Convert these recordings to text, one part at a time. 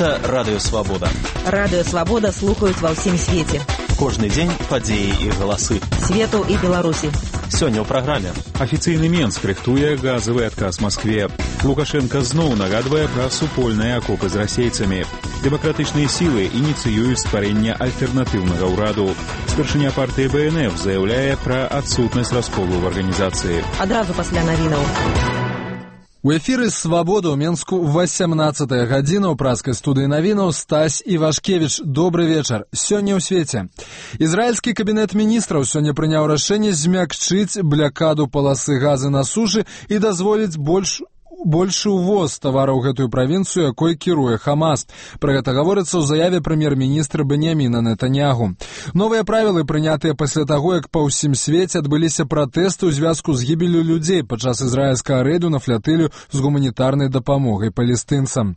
Гэта Радыё Свабода. Радыё Свабода слухаюць ва ўсім свеце. Кожны дзень падзеі і галасы. Свету і Беларусі. Сёння ў праграме. Афіцыйны Менск рыхтуе газавы адказ Маскве. Лукашенко зноў нагадвае пра супольныя акопы з расейцамі. Дэмакратычныя сілы ініцыююць стварэнне альтэрнатыўнага ўраду. Старшыня партыі БНФ заяўляе пра адсутнасць расколу ў арганізацыі. Адразу пасля навінаў. У эфіры «Свабода» ў Менску 18 гадзіна ў праскай студыі навінаў Стась Івашкевіч. Добры вечар. Сёння ў свеце. Ізраільскі кабінет міністраў сёння прыняў рашэнне змякчыць блякаду паласы газы на сушы і дазволіць большы ўвоз тавараў у гэтую правінцыю, якой кіруе Хамас. Пра гэта гаворыцца ў заяве прэм'ер-міністра Беньяміна Нетаньягу. Новыя правілы прынятыя пасля таго, як па ўсім свеце адбыліся пратэсты ў звязку з гібеллю людзей падчас ізраільскага рэйду на флятылю з гуманітарнай дапамогай палестынцам.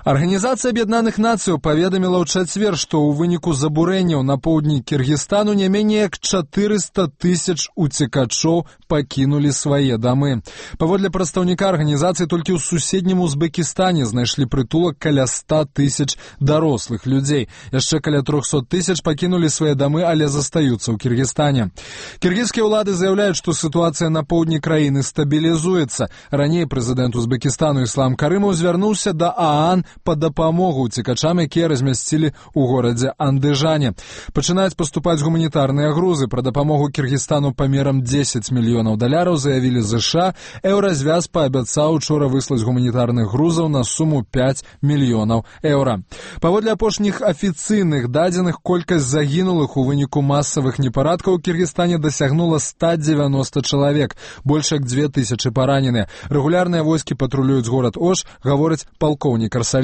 Арганізацыя Аб'яднаных Нацыяў паведаміла ў чацвер, што ў выніку забурэнняў на поўдні Кіргізстану не меней як 400 тысяч уцекачоў пакінулі свае дамы. Паводле прадстаўніка арганізацыі, толькі ў суседнім Узбекістане знайшлі прытулак каля 100 тысяч дарослых людзей. Яшчэ каля 300 тысяч пакінулі свае дамы, але застаюцца ў Кіргізстане. Кіргізскія ўлады заяўляюць, што сітуацыя на поўдні краіны стабілізуецца. Раней прэзідэнт Узбекістану Іслам Карымаў звярнуўся да ААН па дапамогу ўцекачам, якія размясцілі ў горадзе Андыжане. Пачынаюць паступаць гуманітарныя грузы. Пра дапамогу Кіргізстану памерам $10 мільёнаў заявілі ЗША. Еўразвяз паабяцаў учора выслаць гуманітарных грузаў на суму €5 мільёнаў. Паводле апошніх афіцыйных дадзеных, колькасць загінулых у выніку масавых непарадкаў у Кіргізстане дасягнула 190 чалавек. Больш як 2000 параненыя. Рэгулярныя войскі патрулююць горад Ош, гаворыць палкоўнік Арсалеев.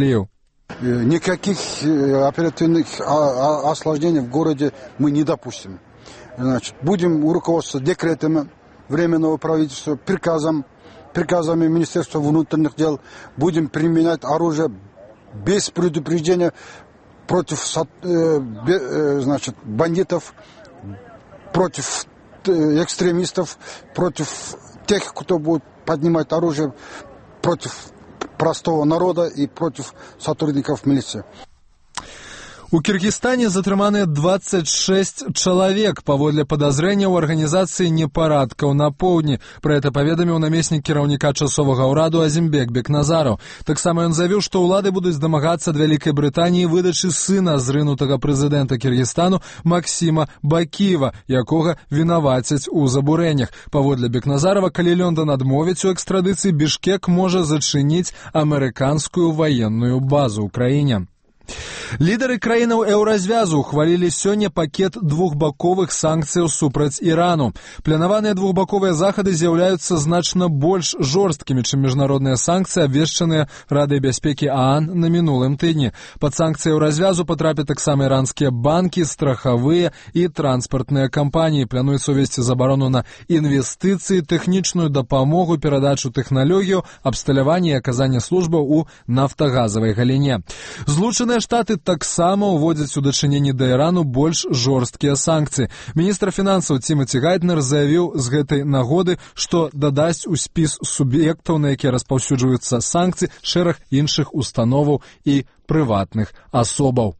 Никаких оперативных осложнений в городе мы не допустим. Значит, будем руководствоваться декретами Временного правительства, приказами Министерства внутренних дел. Будем применять оружие без предупреждения против бандитов, против экстремистов, против тех, кто будет поднимать оружие против простого народа и против сотрудников милиции. У Кіргізстане затрыманыя 26 чалавек паводле падазрэння ў арганізацыі непарадкаў на поўдні. Пра гэта паведаміў намеснік кіраўніка часовага ўраду Азімбек Бекназараў. Таксама ён заявіў, што ўлады будуць дамагацца ад Вялікай Брытаніі выдачы сына зрынутага прэзідэнта Кіргізстану Максіма Бакіева, якога вінавацяць у забурэннях. Паводле Бекназарава, калі Лондан адмовіць у экстрадыцыі, Бішкек можа зачыніць амерыканскую ваенную базу ў краіне. Лідары краінаў еўразвязу ухвалілі сёння пакет двухбаковых санкцыяў супраць Ірану. Планаваныя двухбаковыя захады з'яўляюцца значна больш жорсткімі, чым міжнародныя санкцыі, абвешчаныя Радай бяспекі ААН на мінулым тыдні. Пад санкцыі еўразвязу потрапяць таксама іранскія банкі, страхавыя і транспартныя кампаніі. Плануецца ўвесці забарону на інвестыцыі, тэхнічную дапамогу, перадачу тэхналогію, абсталяванне і аказанне службаў у нафтагазавай галіне. Злучаныя Штаты таксама ўводзяць у дачыненні да Ірану больш жорсткія санкцыі. Міністр фінансаў Тимати Гайтнер заявіў з гэтай нагоды, што дадасць у спіс суб'ектаў, на якія распаўсюджваюцца санкцыі, шэраг іншых установаў і прыватных асобаў.